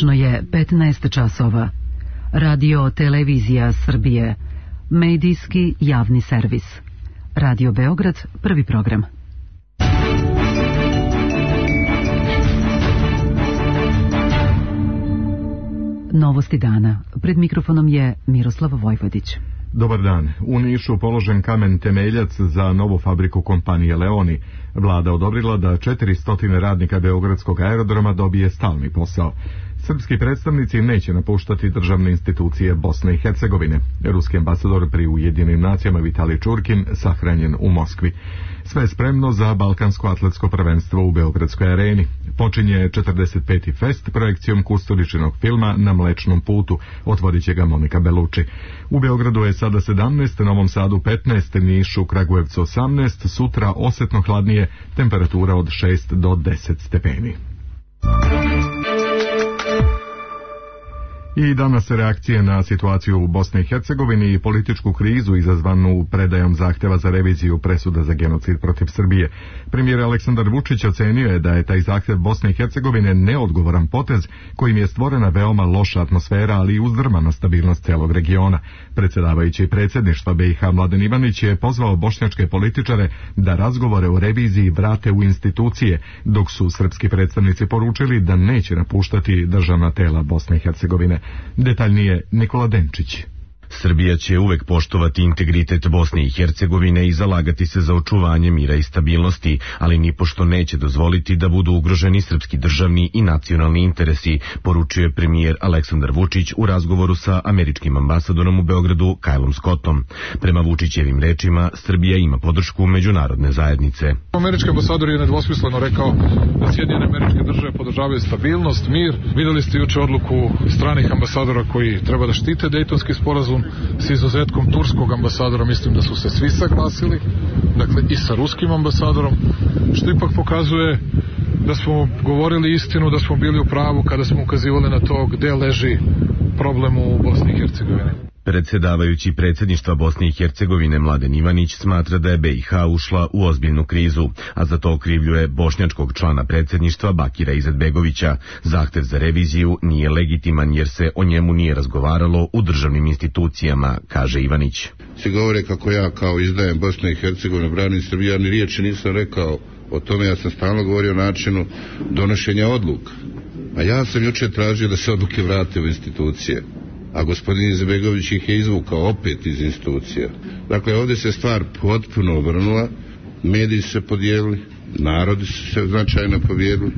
Tačno je 15 časova. Radio Televizija Srbije. Medijski javni servis. Radio Beograd, prvi program. Novosti dana. Pred mikrofonom je Miroslav Vojvodić. Dobar dan. U Nišu položen kamen temeljac za novu fabriku kompanije Leoni. Vlada odobrila da 400 radnika Beogradskog aerodroma dobije stalni posao. Srpski predstavnici neće napuštati državne institucije Bosne i Hercegovine. Ruski ambasador pri Ujedinjenim nacijama Vitalij Čurkin sahranjen u Moskvi. Sve je spremno za Balkansko atletsko prvenstvo u Beogradskoj areni. Počinje 45. fest projekcijom Kusturičinog filma Na Mlečnom putu. Otvorit će ga Monika Belucci. U Beogradu je sada 17, Novom Sadu 15, Nišu, Kragujevcu 18, sutra osetno hladnije, temperatura od 6 do 10 stepeni. I danas reakcije na situaciju u Bosni i Hercegovini i političku krizu izazvanu predajom zahtjeva za reviziju presuda za genocid protiv Srbije. Premijer Aleksandar Vučić ocenio je da je taj zahtjev Bosne i Hercegovine neodgovoran potez kojim je stvorena veoma loša atmosfera, ali i uzdrmana stabilnost celog regiona. Predsjedavajući predsjedništva BiH Mladen Ivanić je pozvao bošnjačke političare da razgovore o reviziji vrate u institucije, dok su srpski predstavnici poručili da neće napuštati državna tela Bosne i Hercegovine. Detaljnije Nikola Denčić. Srbija će uvek poštovati integritet Bosne i Hercegovine i zalagati se za očuvanje mira i stabilnosti, ali nipošto neće dozvoliti da budu ugroženi srpski državni i nacionalni interesi, poručuje premijer Aleksandar Vučić u razgovoru sa američkim ambasadorom u Beogradu Kylom Scottom. Prema Vučićevim rečima, Srbija ima podršku međunarodne zajednice. Američki ambasador je nedvosmisleno rekao da Sjedinjene Američke Države podržavaju stabilnost, mir. Videli ste juče odluku stranih ambasadora koji treba da štite Dejtonski sporazum. S izuzetkom turskog ambasadora mislim da su se svi saglasili, dakle i sa ruskim ambasadorom, što ipak pokazuje da smo govorili istinu, da smo bili u pravu kada smo ukazivali na to gde leži problem u Bosni i Hercegovini. Predsjedavajući predsjedništva Bosne i Hercegovine Mladen Ivanić smatra da je BiH ušla u ozbiljnu krizu, a za to okrivljuje bošnjačkog člana predsjedništva Bakira Izetbegovića. Zahtev za reviziju nije legitiman jer se o njemu nije razgovaralo u državnim institucijama, kaže Ivanić. Svi govore kako ja kao izdajem Bosne i Hercegovine, branim Srbiju, ja ni riječi nisam rekao o tome, ja sam stalno govorio o načinu donošenja odluka. A ja sam jučer tražio da se odluke vrate u institucije. A gospodin Izetbegović ih je izvukao opet iz institucija. Dakle, ovdje se stvar potpuno obrnula, mediji su se podijelili, narodi su se značajno povijedili,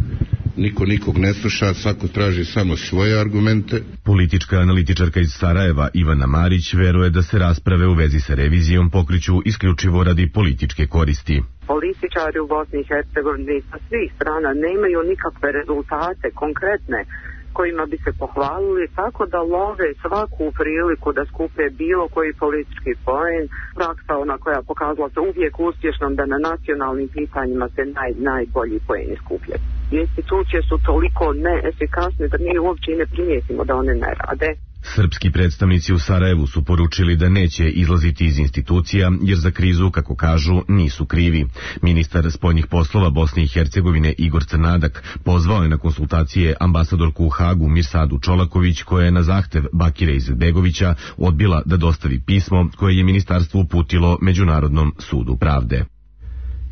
niko nikog ne sluša, svako traži samo svoje argumente. Politička analitičarka iz Sarajeva Ivana Marić veruje da se rasprave u vezi sa revizijom pokreću isključivo radi političke koristi. Političari u Bosni i Hercegovini sa svih strana nemaju nikakve rezultate konkretne kojima bi se pohvalili, tako da love svaku priliku da skupe bilo koji politički poen. Praksa ona koja pokazala se uvijek uspješnom da na nacionalnim pitanjima se najbolji poeni skupljaju. Institucije su toliko neefikasne da mi uopće i ne primijetimo da one ne rade. Srpski predstavnici u Sarajevu su poručili da neće izlaziti iz institucija jer za krizu, kako kažu, nisu krivi. Ministar spoljnih poslova Bosne i Hercegovine Igor Crnadak pozvao je na konsultacije ambasadorku u Hagu Mirsadu Čolaković, koja je na zahtev Bakira Izetbegovića odbila da dostavi pismo koje je ministarstvo uputilo Međunarodnom sudu pravde.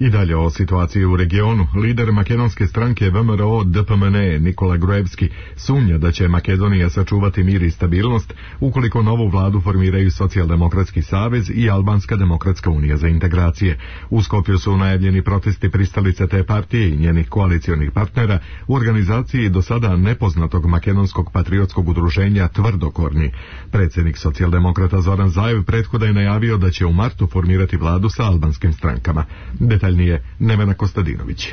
I dalje o situaciji u regionu. Lider makedonske stranke VMRO DPMNE Nikola Gruevski sumnja da će Makedonija sačuvati mir i stabilnost ukoliko novu vladu formiraju Socijaldemokratski savez i Albanska demokratska unija za integracije. U Skopju su najavljeni protesti pristalice te partije i njenih koalicionih partnera u organizaciji do sada nepoznatog makedonskog patriotskog udruženja Tvrdokorni. Predsjednik socijaldemokrata Zoran Zaev prethodno je najavio da će u martu formirati vladu sa albanskim strankama. Detaljnije Nevena Kostadinović.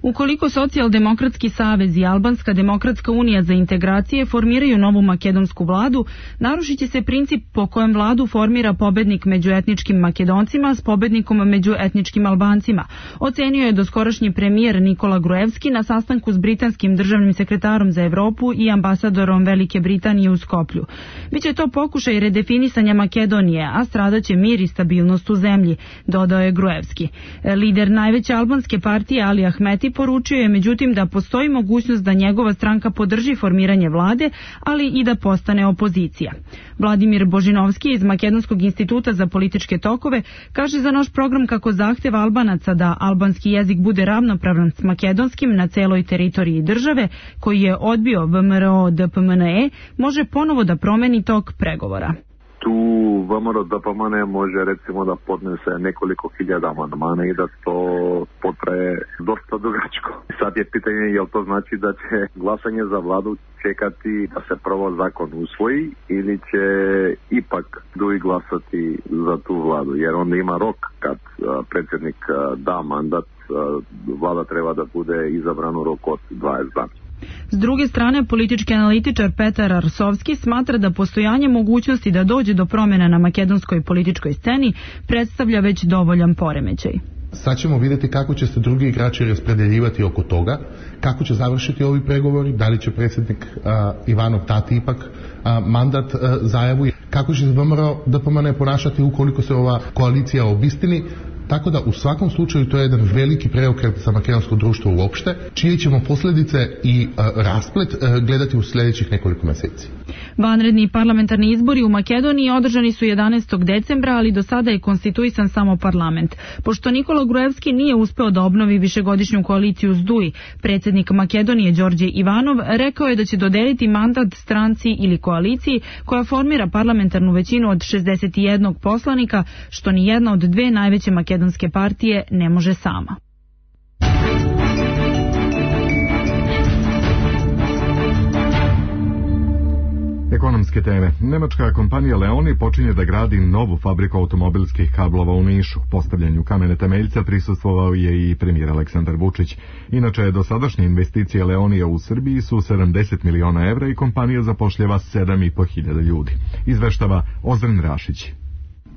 Ukoliko Socijaldemokratski savez i Albanska demokratska unija za integracije formiraju novu makedonsku vladu, narušit će se princip po kojem vladu formira pobednik među etničkim Makedoncima s pobednikom među etničkim Albancima, ocenio je doskorašnji premijer Nikola Gruevski na sastanku s britanskim državnim sekretarom za Evropu i ambasadorom Velike Britanije u Skoplju. Biće to pokušaj redefinisanja Makedonije, a stradaće mir i stabilnost u zemlji, dodao je Gruevski. Lider najveće albanske partije Ali Ahmeti poručio je međutim da postoji mogućnost da njegova stranka podrži formiranje vlade, ali i da postane opozicija. Vladimir Božinovski iz Makedonskog instituta za političke tokove kaže za naš program kako zahtev Albanaca da albanski jezik bude ravnopravan s makedonskim na celoj teritoriji države, koji je odbio VMRO DPMNE, može ponovo da promeni tok pregovora. Tu VMRO DPMNE može recimo da podnese nekoliko hiljada amandmana i da to potraje dosta dugačko. Sad je pitanje je li to znači da će glasanje za vladu čekati da se prvo zakon usvoji ili će ipak dugi glasati za tu vladu, jer onda ima rok kad predsjednik da mandat, vlada treba da bude izabrana u roku od 20 dana. S druge strane, politički analitičar Petar Arsovski smatra da postojanje mogućnosti da dođe do promjena na makedonskoj političkoj sceni predstavlja već dovoljan poremećaj. Sad ćemo vidjeti kako će se drugi igrači raspredeljivati oko toga, kako će završiti ovi pregovori, da li će predsjednik Ivanov dati ipak mandat zajavu, kako će se VMRO DPMNE ponašati ukoliko se ova koalicija obistini. Tako da u svakom slučaju to je jedan veliki preokret za makedonsko društvo uopšte, čije ćemo posljedice i rasplet gledati u sljedećih nekoliko mjeseci. Vanredni parlamentarni izbori u Makedoniji održani su 11. decembra, ali do sada je konstituisan samo parlament. Pošto Nikola Gruevski nije uspeo da obnovi višegodišnju koaliciju SDUI, predsjednik Makedonije Đorđe Ivanov rekao je da će dodeliti mandat stranci ili koaliciji koja formira parlamentarnu većinu od 61 poslanika, što ni jedna od dve najveće makedonske partije ne može sama. Ekonomske teme. Nemačka kompanija Leoni počinje da gradi novu fabriku automobilskih kablova u Nišu. Postavljanju kamene temeljca prisustvovao je i premijer Aleksandar Vučić. Inače, dosadašnje investicije Leonija u Srbiji su 70 miliona evra i kompanija zapošljava 7.500 ljudi. Izveštava Ozren Rašić.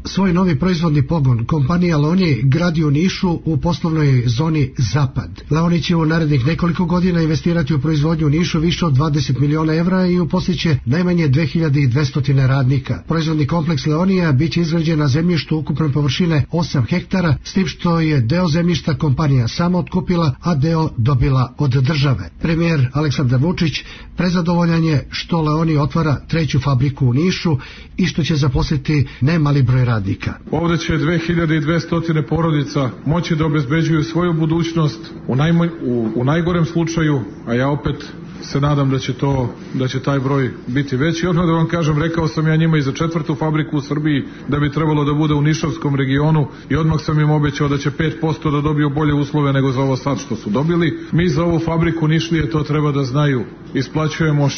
Svoj novi proizvodni pogon kompanija Leoni gradi u Nišu u poslovnoj zoni Zapad. Leoni će u narednih nekoliko godina investirati u proizvodnju u Nišu više od 20 miliona evra i uposliće najmanje 2200 radnika. Proizvodni kompleks Leonija biće izgrađen na zemljištu ukupne površine 8 hektara, s tim što je deo zemljišta kompanija sama otkupila, a deo dobila od države. Premijer Aleksandar Vučić prezadovoljan je što Leoni otvara treću fabriku u Nišu i što će zaposliti nemali broj radnika. Ovdje će 2200 porodica moći da obezbeđuju svoju budućnost u najgorem slučaju, a ja opet se nadam da će taj broj biti veći. Odmah da vam kažem, rekao sam ja njima i za 4. fabriku u Srbiji da bi trebalo da bude u Nišavskom regionu i odmah sam im obećao da će 5% da dobiju bolje uslove nego za ovo sad što su dobili. Mi za ovu fabriku Nišlije, to treba da znaju, isplaćujemo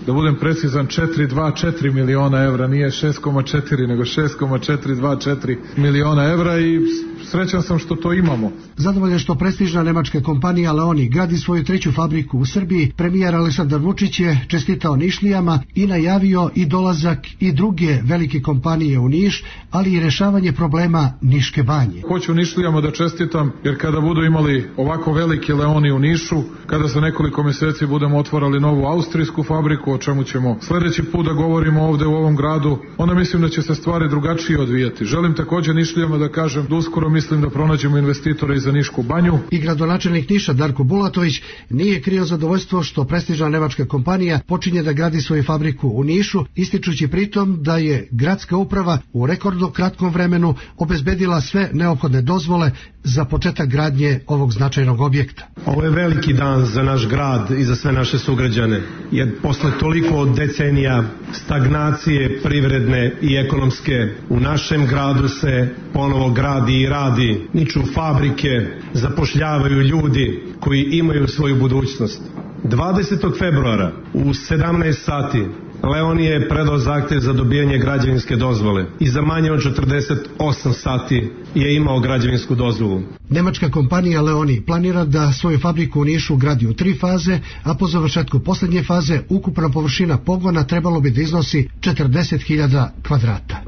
da budem precizan, 424 miliona evra, nije 6,4 nego 6,424 miliona evra i srećan sam što to imamo. Zadovoljan što prestižna nemačka kompanija Leoni gradi svoju treću fabriku u Srbiji, premijer Aleksandar Vučić je čestitao Nišlijama i najavio i dolazak i druge velike kompanije u Niš, ali i rešavanje problema Niške banje. Hoću Nišlijama da čestitam, jer kada budu imali ovako velike Leoni u Nišu, kada za nekoliko mjeseci budemo otvarali novu austrijsku fabriku, o čemu ćemo sljedeći put da govorimo ovdje u ovom gradu, onda mislim da će se stvari drugačije odvijati. Želim također Nišlijama da kažem da uskoro mislim da pronađemo investitore i za Nišku banju. I gradonačelnik Niša Darko Bulatović nije krio zadovoljstvo što prestižna nemačka kompanija počinje da gradi svoju fabriku u Nišu, ističući pritom da je gradska uprava u rekordno kratkom vremenu obezbedila sve neophodne dozvole za početak gradnje ovog značajnog objekta. Ovo je veliki dan za naš grad i za sve naše sugrađane, jer posle toliko decenija stagnacije privredne i ekonomske u našem gradu se ponovo gradi i radi, niču fabrike, zapošljavaju ljudi koji imaju svoju budućnost. 20. februara u 17 sati Leoni je predao zahtjev za dobijanje građevinske dozvole i za manje od 48 sati je imao građevinsku dozvolu. Nemačka kompanija Leoni planira da svoju fabriku u Nišu gradi u 3 faze, a po završetku posljednje faze ukupna površina pogona trebalo bi da iznosi 40.000 kvadrata.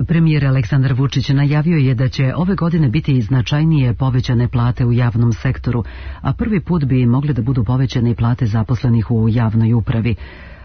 Premijer Aleksandar Vučić najavio je da će ove godine biti značajnije povećane plate u javnom sektoru, a prvi put bi mogle da budu povećane i plate zaposlenih u javnoj upravi.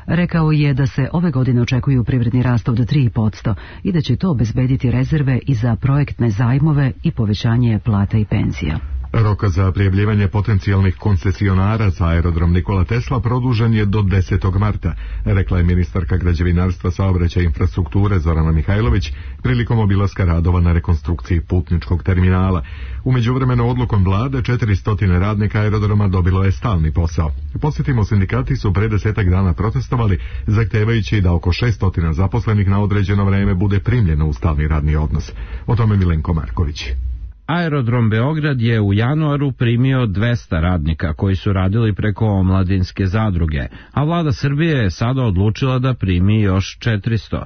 Rekao je da se ove godine očekuju privredni rast od 3% i da će to obezbediti rezerve i za projektne zajmove i povećanje plata i penzija. Rok za prijavljivanje potencijalnih koncesionara za aerodrom Nikola Tesla produžen je do 10. marta, rekla je ministarka građevinarstva, saobraćaja i infrastrukture Zorana Mihajlović prilikom obilaska radova na rekonstrukciji putničkog terminala. U međuvremenu odlukom vlade 400 radnika aerodroma dobilo je stalni posao. Podsjetimo, sindikati su pre 10 dana protestovali, zahtevajući da oko 600 zaposlenih na određeno vreme bude primljeno u stalni radni odnos. O tome Milenko Marković. Aerodrom Beograd je u januaru primio 200 radnika koji su radili preko omladinske zadruge, a vlada Srbije je sada odlučila da primi još 400.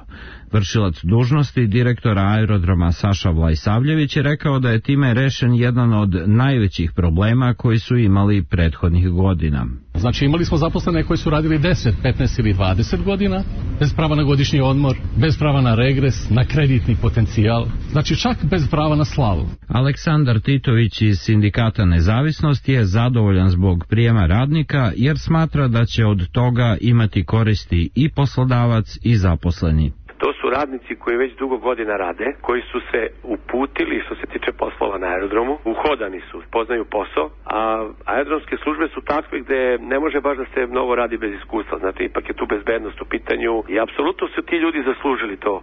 Vršilac dužnosti direktora aerodroma Saša Vlajsavljević je rekao da je time rešen jedan od najvećih problema koji su imali prethodnih godina. Znači imali smo zaposlene koji su radili 10, 15 ili 20 godina, bez prava na godišnji odmor, bez prava na regres, na kreditni potencijal, znači čak bez prava na slavu. Aleksandar Titović iz Sindikata Nezavisnost je zadovoljan zbog prijema radnika jer smatra da će od toga imati koristi i poslodavac i zaposleni. To su radnici koji već dugo godina rade, koji su se uputili što se tiče poslova na aerodromu, uhodani su, poznaju posao, a aerodromske službe su takve gde ne može baš da se mnogo radi bez iskustva, znači ipak je tu bezbednost u pitanju i apsolutno su ti ljudi zaslužili to.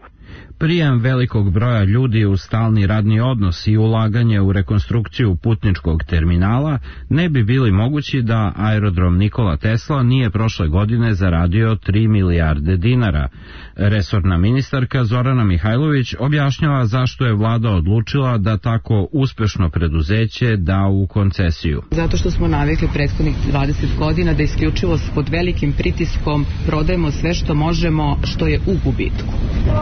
Prijem velikog broja ljudi u stalni radni odnos i ulaganje u rekonstrukciju putničkog terminala ne bi bili mogući da aerodrom Nikola Tesla nije prošle godine zaradio 3 milijarde dinara. Resorna ministarka Zorana Mihajlović objašnjava zašto je vlada odlučila da tako uspešno preduzeće da u koncesiju. Zato što smo navikli prethodnih 20 godina da isključivo pod velikim pritiskom prodajemo sve što možemo, što je u gubitku.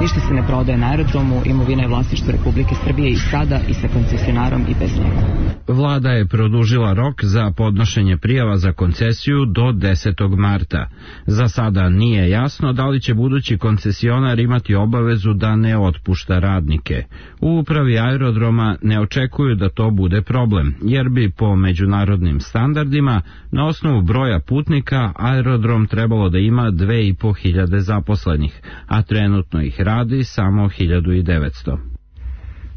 Ništa se ne prodaje na aerodromu, imovina je vlasništvo Republike Srbije i sada i sa koncesionarom i bez njega. Vlada je produžila rok za podnošenje prijava za koncesiju do 10. marta. Za sada nije jasno da li će budući koncesionar imati obavezu da ne otpušta radnike. U upravi aerodroma ne očekuju da to bude problem, jer bi po međunarodnim standardima na osnovu broja putnika aerodrom trebalo da ima 2500 zaposlenih, a trenutno ih radi samo 1900.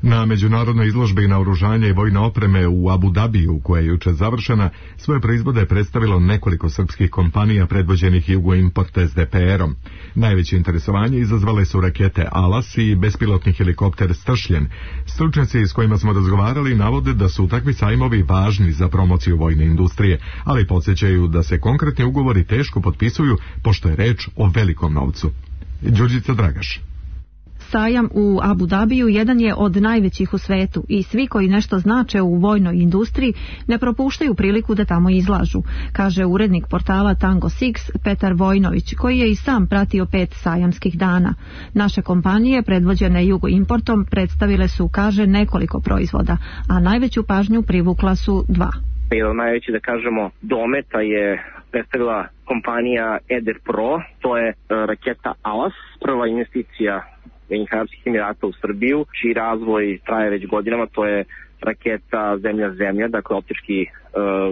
Na međunarodnoj izložbi naoružanja i vojne opreme u Abu Dabiju, koja je juče završena, svoje proizvode je predstavilo nekoliko srpskih kompanija predvođenih Jugoimport SDPR-om. Najveće interesovanje izazvale su rakete Alas i bespilotni helikopter Stršljen. Stručnjaci s kojima smo razgovarali navode da su takvi sajmovi važni za promociju vojne industrije, ali podsjećaju da se konkretni ugovori teško potpisuju, pošto je reč o velikom novcu. Đurđica Dragaš. Sajam u Abu Dabiju jedan je od najvećih u svetu i svi koji nešto znače u vojnoj industriji ne propuštaju priliku da tamo izlažu, kaže urednik portala Tango Six Petar Vojnović, koji je i sam pratio 5 sajamskih dana. Naše kompanije, predvođene Jugoimportom, predstavile su, kaže, nekoliko proizvoda, a najveću pažnju privukla su 2. Jedan najveći, da kažemo, dometa je predstavila kompanija Eder Pro, to je raketa Alas, prva investicija Ujedinjenih Arapskih Emirata u Srbiju, čiji razvoj traje već godinama, to je raketa zemlja-zemlja, dakle optički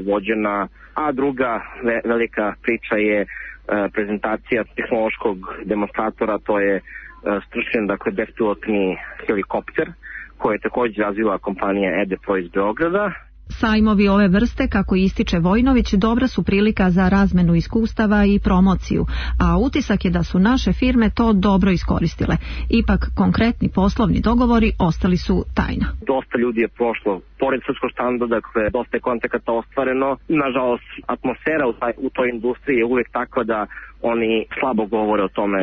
vođena, a druga velika priča je prezentacija tehnološkog demonstratora, to je Stršljen, dakle bespilotni helikopter, koji je također razvila kompanija Ede Pro iz Beograda. Sajmovi ove vrste, kako ističe Vojnović, dobra su prilika za razmenu iskustava i promociju, a utisak je da su naše firme to dobro iskoristile. Ipak konkretni poslovni dogovori ostali su tajna. Dosta ljudi je prošlo pored srpskog štanda, dakle dosta je kontakata ostvareno. Nažalost, atmosfera u toj industriji je uvijek takva da oni slabo govore o tome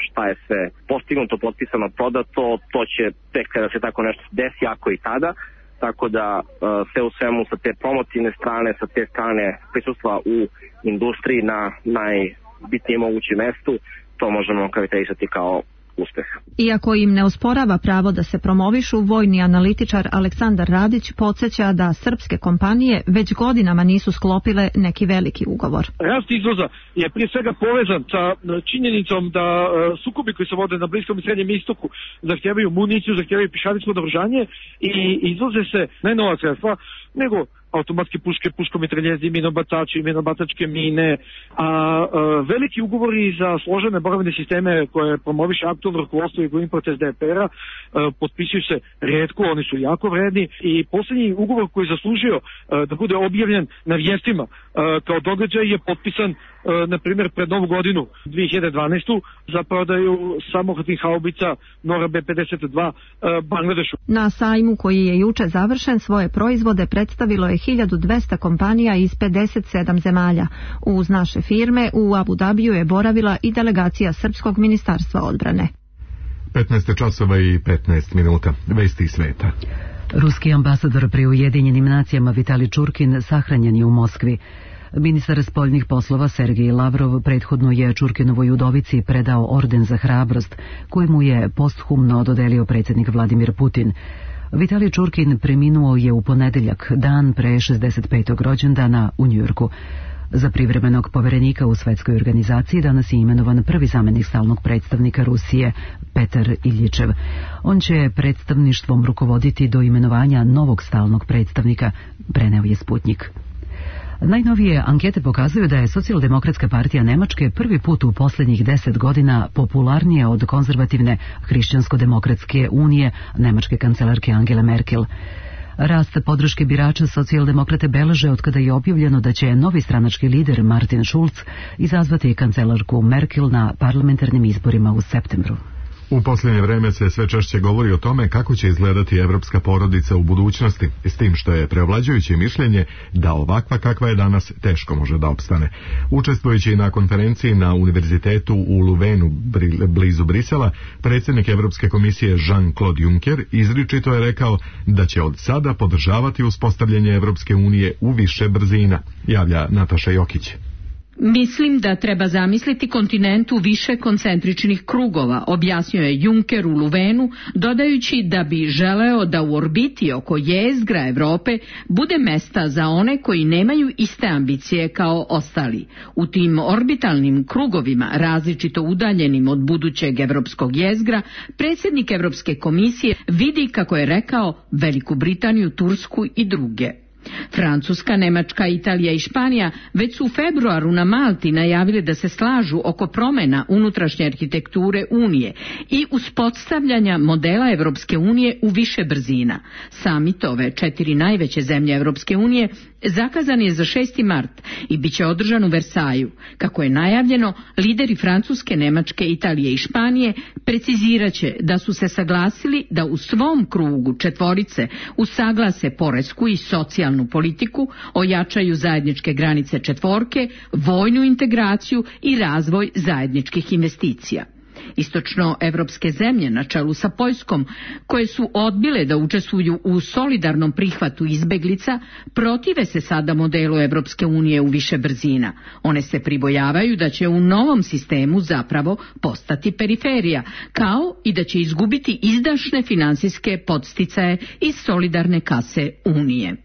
šta je sve postignuto, potpisano, prodato. To će tek kada se tako nešto desi, ako i tada. Tako da sve u svemu sa te promotivne strane, sa te strane prisustva u industriji na najbitnijem mogućem mestu, to možemo karakterisati kao uspeh. Iako im ne osporava pravo da se promovišu, vojni analitičar Aleksandar Radić podsjeća da srpske kompanije već godinama nisu sklopile neki veliki ugovor. Rast izvoza je prije svega povezan sa činjenicom da sukobi koji se vode na Bliskom i Srednjem istoku zahtijevaju municiju, zahtijevaju pješadijsko naoružanje i izvoze se ne nova sredstva, nego automatske puške, puškomitraljezi, minobacači, minobacačke mine, a veliki ugovori za složene borbene sisteme koje promoviše aktualno rukovodstvo i Import SDPR-a potpisuju se retko, oni su jako vredni i posljednji ugovor koji je zaslužio da bude objavljen na vijestima kao događaj je potpisan na primjer pred novu godinu 2012. za prodaju samohodnih haubica Nora B-52 Bangladešu. Na sajmu koji je juče završen svoje proizvode predstavilo je 1200 kompanija iz 57 zemalja. Uz naše firme u Abu Dabiju je boravila i delegacija Srpskog ministarstva odbrane. 15 časova i 15 minuta. Vesti sveta. Ruski ambasador pri Ujedinjenim nacijama Vitali Čurkin sahranjen je u Moskvi. Ministar spoljnih poslova Sergej Lavrov prethodno je Čurkinovoj udovici predao orden za hrabrost, koji mu je posthumno dodelio predsjednik Vladimir Putin. Vitali Čurkin preminuo je u ponedeljak, dan pre 65. rođendana u Njujorku. Za privremenog poverenika u Svetskoj organizaciji danas je imenovan prvi zamjenik stalnog predstavnika Rusije, Petar Iljičev. On će predstavništvom rukovoditi do imenovanja novog stalnog predstavnika, preneo je Sputnjik. Najnovije ankete pokazuju da je Socijaldemokratska partija Nemačke prvi put u posljednjih 10 godina popularnija od konzervativne Hrišćansko-demokratske unije nemačke kancelarke Angele Merkel. Rast podrške birača socijaldemokrate beleže otkada je objavljeno da će novi stranački lider Martin Schulz izazvati kancelarku Merkel na parlamentarnim izborima u septembru. U posljednje vreme se sve češće govori o tome kako će izgledati evropska porodica u budućnosti, s tim što je preovlađujuće mišljenje da ovakva kakva je danas teško može da opstane. Učestvujući na konferenciji na univerzitetu u Luvenu blizu Brisela, predsjednik Evropske komisije Jean-Claude Juncker izričito je rekao da će od sada podržavati uspostavljanje Evropske unije u više brzina, javlja Nataša Jokić. Mislim da treba zamisliti kontinent u više koncentričnih krugova, objasnio je Juncker u Luvenu, dodajući da bi želeo da u orbiti oko jezgra Evrope bude mesta za one koji nemaju iste ambicije kao ostali. U tim orbitalnim krugovima, različito udaljenim od budućeg evropskog jezgra, predsjednik Evropske komisije vidi, kako je rekao, Veliku Britaniju, Tursku i druge. Francuska, Nemačka, Italija i Španija već su u februaru na Malti najavili da se slažu oko promjena unutrašnje arhitekture Unije i uspostavljanja modela Evropske unije u više brzina. Samit ove 4 najveće zemlje Evropske unije zakazan je za 6. mart i bit će održan u Versaju. Kako je najavljeno, lideri Francuske, Nemačke, Italije i Španije precizirat će da su se saglasili da u svom krugu četvorice usaglase poresku i socijalnu politiku, ojačaju zajedničke granice četvorke, vojnu integraciju i razvoj zajedničkih investicija. Istočnoevropske zemlje na čelu sa Poljskom, koje su odbile da učestvuju u solidarnom prihvatu izbeglica, protive se sada modelu Evropske unije u više brzina. One se pribojavaju da će u novom sistemu zapravo postati periferija, kao i da će izgubiti izdašne finansijske podsticaje iz solidarne kase Unije.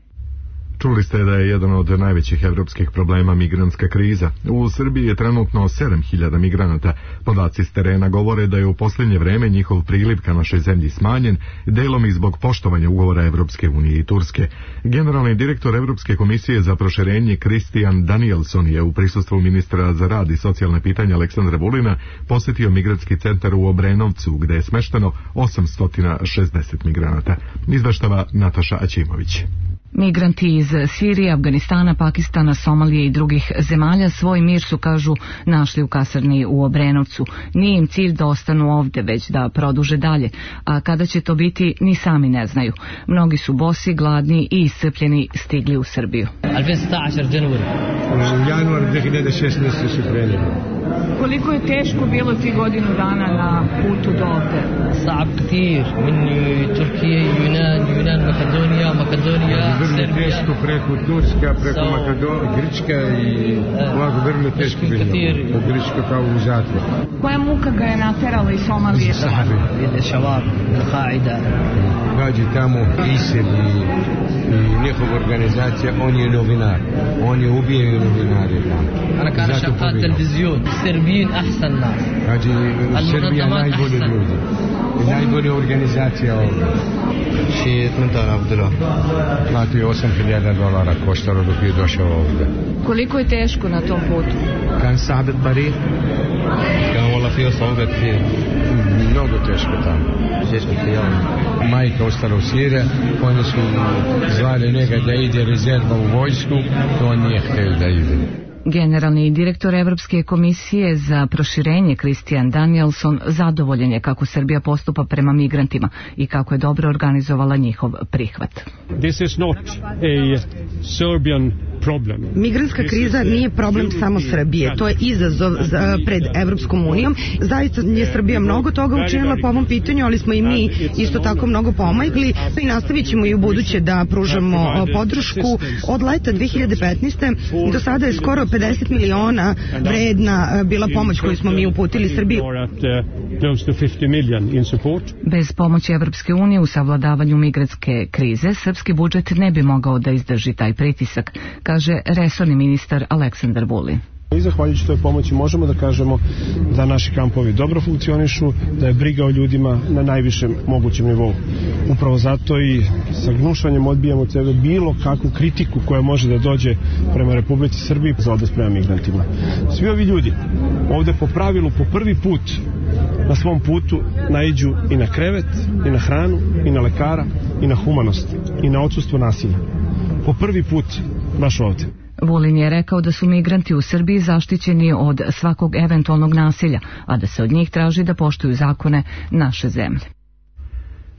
Čuli ste da je jedan od najvećih evropskih problema migrantska kriza. U Srbiji je trenutno 7.000 migranata. Podaci s terena govore da je u posljednje vreme njihov priliv ka našoj zemlji smanjen, delom i zbog poštovanja ugovora Evropske unije i Turske. Generalni direktor Evropske komisije za proširenje Kristijan Danielson je u prisustvu ministra za rad i socijalne pitanja Aleksandra Vulina posjetio migrantski centar u Obrenovcu, gde je smešteno 860 migranata. Izveštava Nataša Aćimović. Migranti iz Sirije, Afganistana, Pakistana, Somalije i drugih zemalja svoj mir su, kažu, našli u kasarni u Obrenovcu. Nije im cilj da ostanu ovde, već da produže dalje, a kada će to biti ni sami ne znaju. Mnogi su bosi, gladni i iscrpljeni stigli u Srbiju. U januar 2016. su krenuli. Koliko je teško bilo ti godinu dana na putu do ovde? صعب كثير من تركيا يونان Makedonija vrlo teško preko Turska, preko Makedonija, Grčka i ovako vrlo teško bilo. Grčka kao u zatvor. Koja muka ga je naterala iz Somalije? Ide šavab, Al-Qaida. Gađi tamo ISIL i njihova organizacija, on je novinar. On je ubijaju novinari tamo. Ana kana šaqat televizijun, Srbijin ahsan nas. Gađi Srbija najbolji ljudi. I najbolja organizacija ovdje. شي 8000 دولار. Znači $8.000 koštalo dok je došao ovdje. Koliko je teško na tom putu? كان صعب الطريق. كان والله فيه صعوبة كثير. Mnogo teško tamo. Majka ostala u Siriji, oni su zvali njega da ide rezerva u vojsku, to on nije htio da ide. Generalni direktor Evropske komisije za proširenje Christian Danielson zadovoljen je kako Srbija postupa prema migrantima i kako je dobro organizovala njihov prihvat. This is not a Serbian problem. Migrantska kriza nije problem samo Srbije, to je izazov pred Evropskom unijom. Zaista je Srbija mnogo toga učinila po ovom pitanju, ali smo i mi isto tako mnogo pomogli i nastavit ćemo i u buduće da pružamo podršku. Od leta 2015. do sada je skoro 50 miliona vredna bila pomoć koju smo mi uputili Srbiji. Bez pomoći Evropske unije u savladavanju migrantske krize, srpski budžet ne bi mogao da izdrži taj pritisak, kaže resorni ministar Aleksandar Vulin. I zahvaljujući toj pomoći možemo da kažemo da naši kampovi dobro funkcionišu, da je briga o ljudima na najvišem mogućem nivou. Upravo zato i sa gnušanjem odbijamo od sebe bilo kakvu kritiku koja može da dođe prema Republici Srbiji za odnos prema migrantima. Svi ovi ljudi ovde po pravilu po prvi put na svom putu naiđu i na krevet, i na hranu, i na lekara, i na humanost, i na odsustvo nasilja. Po prvi put baš ovde. Vulin je rekao da su migranti u Srbiji zaštićeni od svakog eventualnog nasilja, a da se od njih traži da poštuju zakone naše zemlje.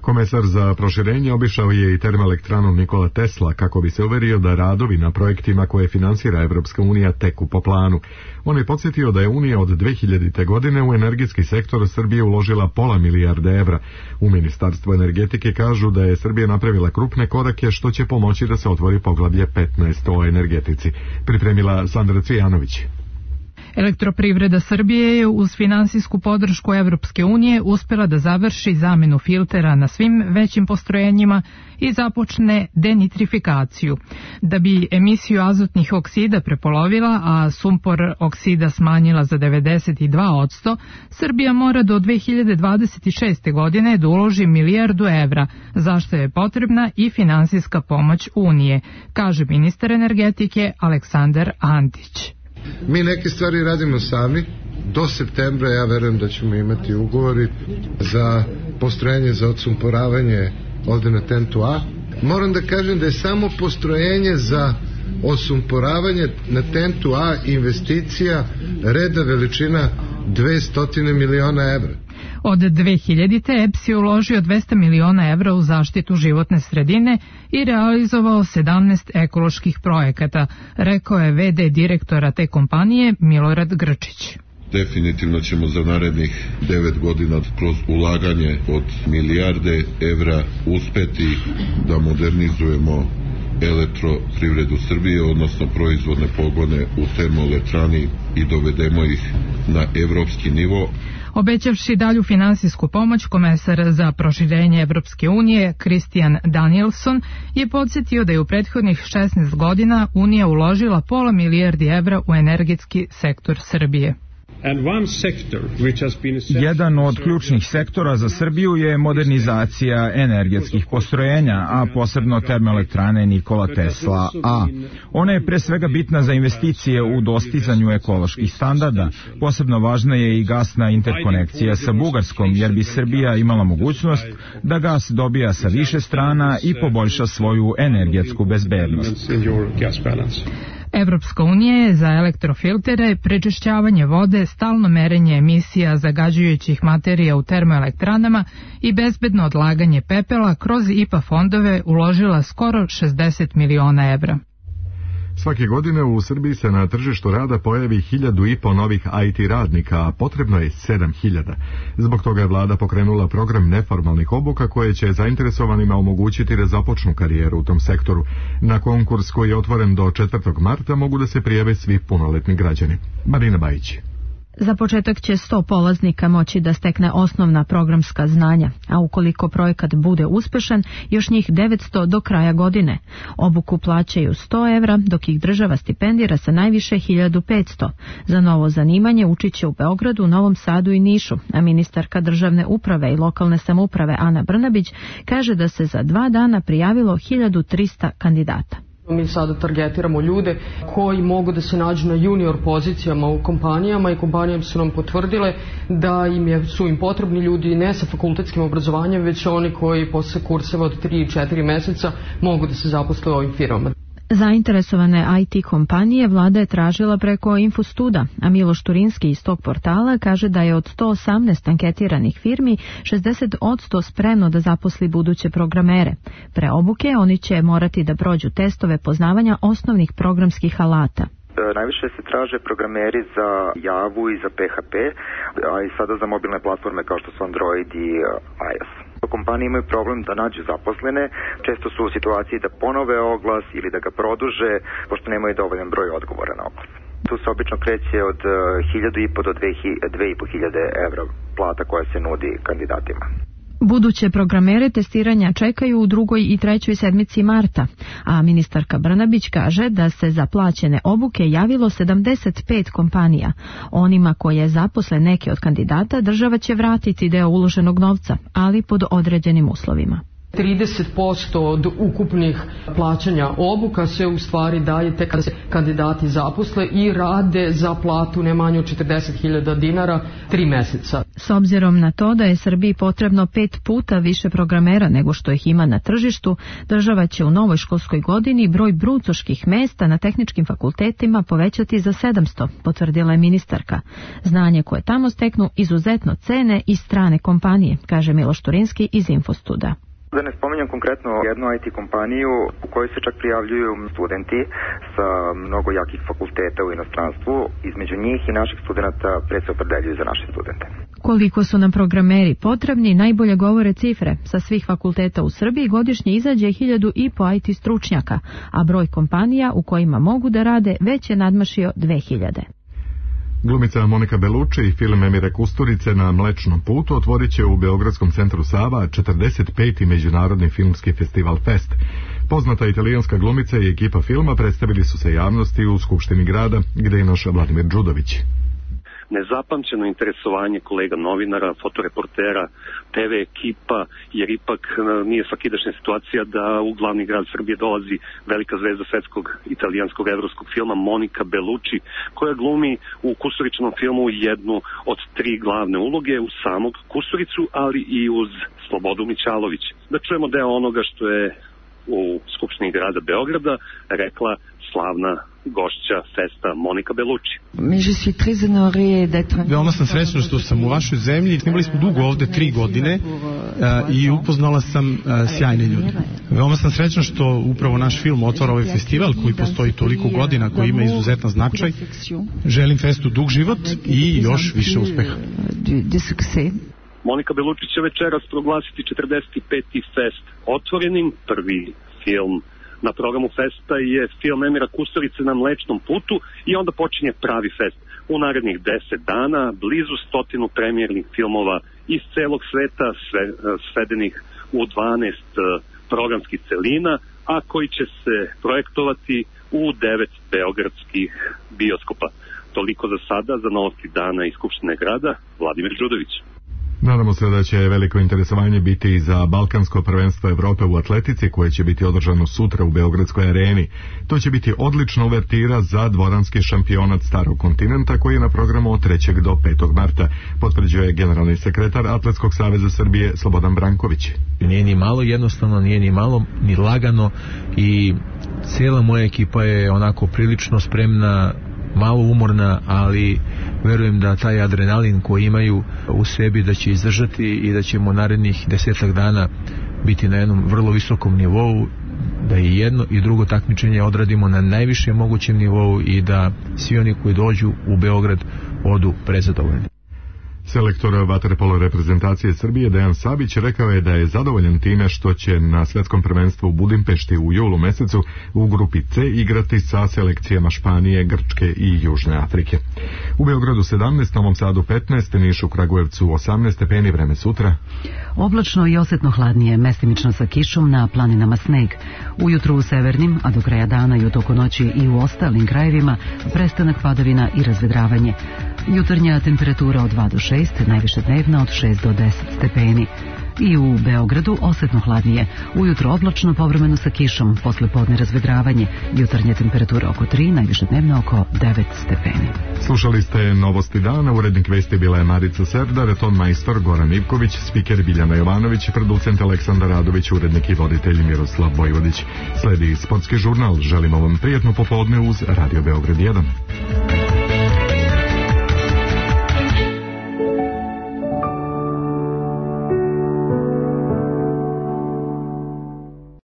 Komesar za proširenje obišao je i termoelektranu Nikola Tesla kako bi se uverio da radovi na projektima koje finansira Evropska unija teku po planu. On je podsjetio da je Unija od 2000. godine u energetski sektor Srbije uložila $500 milijarde evra. U Ministarstvu energetike kažu da je Srbija napravila krupne korake što će pomoći da se otvori poglavlje 15 o energetici. Pripremila Sandra Cvijanović. Elektroprivreda Srbije je uz finansijsku podršku Evropske unije uspjela da završi zamenu filtera na svim većim postrojenjima i započne denitrifikaciju. Da bi emisiju azotnih oksida prepolovila, a sumpor oksida smanjila za 92%, Srbija mora do 2026. godine da uloži $1 milijardu, za što je potrebna i finansijska pomoć Unije, kaže ministar energetike Aleksandar Antić. Mi neke stvari radimo sami. Do septembra ja verujem da ćemo imati ugovori za postrojenje za odsumporavanje ovde na TENT-u A. Moram da kažem da je samo postrojenje za odsumporavanje na TENT-u A investicija reda veličina 200 miliona evra. Od 2000. EPS je uložio $200 miliona u zaštitu životne sredine i realizovao 17 ekoloških projekata, rekao je VD direktora te kompanije Milorad Grčić. Definitivno ćemo za narednih 9 godina kroz ulaganje od $1 milijarde uspeti da modernizujemo elektroprivredu Srbije, odnosno proizvodne pogone u termoelektrani i dovedemo ih na evropski nivo. Obećavši dalju finansijsku pomoć, komesar za proširenje Evropske unije Christian Danielson je podsjetio da je u prethodnih 16 godina Unija uložila $500 milijardi u energetski sektor Srbije. Jedan od ključnih sektora za Srbiju je modernizacija energetskih postrojenja, a posebno termoelektrane Nikola Tesla A. Ona je pre svega bitna za investicije u dostizanju ekoloških standarda. Posebno važna je i gasna interkonekcija sa Bugarskom, jer bi Srbija imala mogućnost da gas dobija sa više strana i poboljša svoju energetsku bezbednost. Evropska unija je za elektrofiltere, prečišćavanje vode, stalno merenje emisija zagađujućih materija u termoelektranama i bezbedno odlaganje pepela kroz IPA fondove uložila skoro $60 miliona. Svake godine u Srbiji se na tržištu rada pojavi 1.500 novih IT radnika, a potrebno je 7.000. Zbog toga je vlada pokrenula program neformalnih obuka koje će zainteresovanima omogućiti da započnu karijeru u tom sektoru. Na konkurs koji je otvoren do 4. marta mogu da se prijave svi punoletni građani. Marina Bajić. Za početak će 100 polaznika moći da stekne osnovna programska znanja, a ukoliko projekat bude uspešan, još njih 900 do kraja godine. Obuku plaćaju 100 evra, dok ih država stipendira sa najviše 1500. Za novo zanimanje učit će u Beogradu, Novom Sadu i Nišu, a ministarka državne uprave i lokalne samouprave Ana Brnabić kaže da se za 2 dana prijavilo 1300 kandidata. Mi sada targetiramo ljude koji mogu da se nađu na junior pozicijama u kompanijama i kompanije su nam potvrdile da su im potrebni ljudi ne sa fakultetskim obrazovanjem, već oni koji posle kurseva od 3-4 meseca mogu da se zaposle u ovim firmama. Zainteresovane IT kompanije vlada je tražila preko Infostuda, a Miloš Turinski iz tog portala kaže da je od 118 anketiranih firmi 60% spremno da zaposli buduće programere. Pre obuke oni će morati da prođu testove poznavanja osnovnih programskih alata. Najviše se traže programeri za Javu i za PHP, a i sada za mobilne platforme kao što su Android i iOS. Kompanije imaju problem da nađu zaposlene, često su u situaciji da ponove oglas ili da ga produže, pošto nemaju dovoljan broj odgovora na oglas. Tu se obično kreće od 1.500 do 2.500 evra plata koja se nudi kandidatima. Buduće programere testiranja čekaju u 2. i 3. sedmici marta, a ministarka Brnabić kaže da se za plaćene obuke javilo 75 kompanija. Onima koje zaposle neke od kandidata država će vratiti deo uloženog novca, ali pod određenim uslovima. 30% od ukupnih plaćanja obuka se u stvari daje tek kada se kandidati zaposle i rade za platu ne manje od 40.000 dinara 3 meseca. S obzirom na to da je Srbiji potrebno 5 puta više programera nego što ih ima na tržištu, država će u novoj školskoj godini broj brucoških mesta na tehničkim fakultetima povećati za 700, potvrdila je ministarka. Znanje koje tamo steknu izuzetno cene i strane kompanije, kaže Miloš Turinski iz Infostuda. Da ne spominjam konkretno jednu IT kompaniju u kojoj se čak prijavljuju studenti sa mnogo jakih fakulteta u inostranstvu. Između njih i naših studenta pre se opredeljuju za naše studente. Koliko su nam programeri potrebni, najbolje govore cifre. Sa svih fakulteta u Srbiji godišnje izađe 1.500 IT stručnjaka, a broj kompanija u kojima mogu da rade već je nadmašio 2.000. Glumica Monika Bellucci i film Emire Kusturice Na Mlečnom putu otvorit će u Beogradskom centru Sava 45. međunarodni filmski festival Fest. Poznata italijanska glumica i ekipa filma predstavili su se javnosti u Skupštini grada, gde je naš Vladimir Đudović. Nezapamćeno interesovanje kolega novinara, fotoreportera, TV ekipa, jer ipak nije svakidašnja situacija da u glavni grad Srbije dolazi velika zvezda svetskog italijanskog evropskog filma Monika Bellucci, koja glumi u Kusturičinom filmu jednu od 3 glavne uloge, uz samog Kusturicu, ali i uz Slobodu Mićalović. Da čujemo deo onoga što je u Skupštini grada Beograda rekla slavna gošća festa Monika Bellucci. Veoma sam srećna što sam u vašoj zemlji. Snimali smo dugo ovde 3 godine i upoznala sam sjajne ljude. Veoma sam srećna što upravo naš film otvara ovaj festival koji postoji toliko godina, koji ima izuzetan značaj. Želim festu dug život i još više uspeha. Monika Bellucci će večeras proglasiti 45. fest otvorenim. Prvi film na programu festa je film Emira Kusturice Na Mlečnom putu i onda počinje pravi fest. U narednih 10 dana blizu 100 premijernih filmova iz celog sveta, svedenih u 12 programskih celina, a koji će se projektovati u 9 beogradskih bioskopa. Toliko za sada, za novosti dana iz Skupštine grada, Vladimir Đudović. Nadamo se da će veliko interesovanje biti i za Balkansko prvenstvo Evrope u atletici koje će biti održano sutra u Beogradskoj areni. To će biti odlična uvertira za dvoranski šampionat Starog kontinenta koji je na programu od 3. do 5. marta, potvrđuje generalni sekretar Atletskog saveza Srbije Slobodan Branković. Nije ni malo jednostavno, nije ni malo ni lagano i cijela moja ekipa je onako prilično spremna, malo umorna, ali verujem da taj adrenalin koji imaju u sebi da će izdržati i da ćemo narednih 10 dana biti na jednom vrlo visokom nivou, da i jedno i drugo takmičenje odradimo na najvišem mogućem nivou i da svi oni koji dođu u Beograd odu prezadovoljni. Selektor vaterpolo reprezentacije Srbije Dejan Sabić rekao je da je zadovoljan time što će na svjetskom prvenstvu u Budimpešti u julu mesecu u grupi C igrati sa selekcijama Španije, Grčke i Južne Afrike. U Beogradu 17, Novom Sadu 15, Nišu, Kragujevcu 18 stepeni, vreme sutra. Oblačno i osjetno hladnije, mestimično sa kišom, na planinama sneg. Ujutru u severnim, a do kraja dana i u toku noći i u ostalim krajevima prestanak padavina i razvedravanje. Jutarnja temperatura od 2 do 6, najviše dnevna od 6 do 10 stepeni. I u Beogradu osjetno hladnije, ujutro oblačno, povremeno sa kišom, posle podne razvedravanje, jutarnja temperatura oko 3, najviše dnevna oko 9 stepeni. Slušali ste Novosti dana, urednik vesti bila je Marica Serdar, ton majstor Goran Ivković, spiker Biljana Jovanović, producent Aleksandar Radović, urednik i voditelj Miroslav Vojvodić. Sledi sportski žurnal, želimo vam prijetno popodne uz Radio Beograd 1.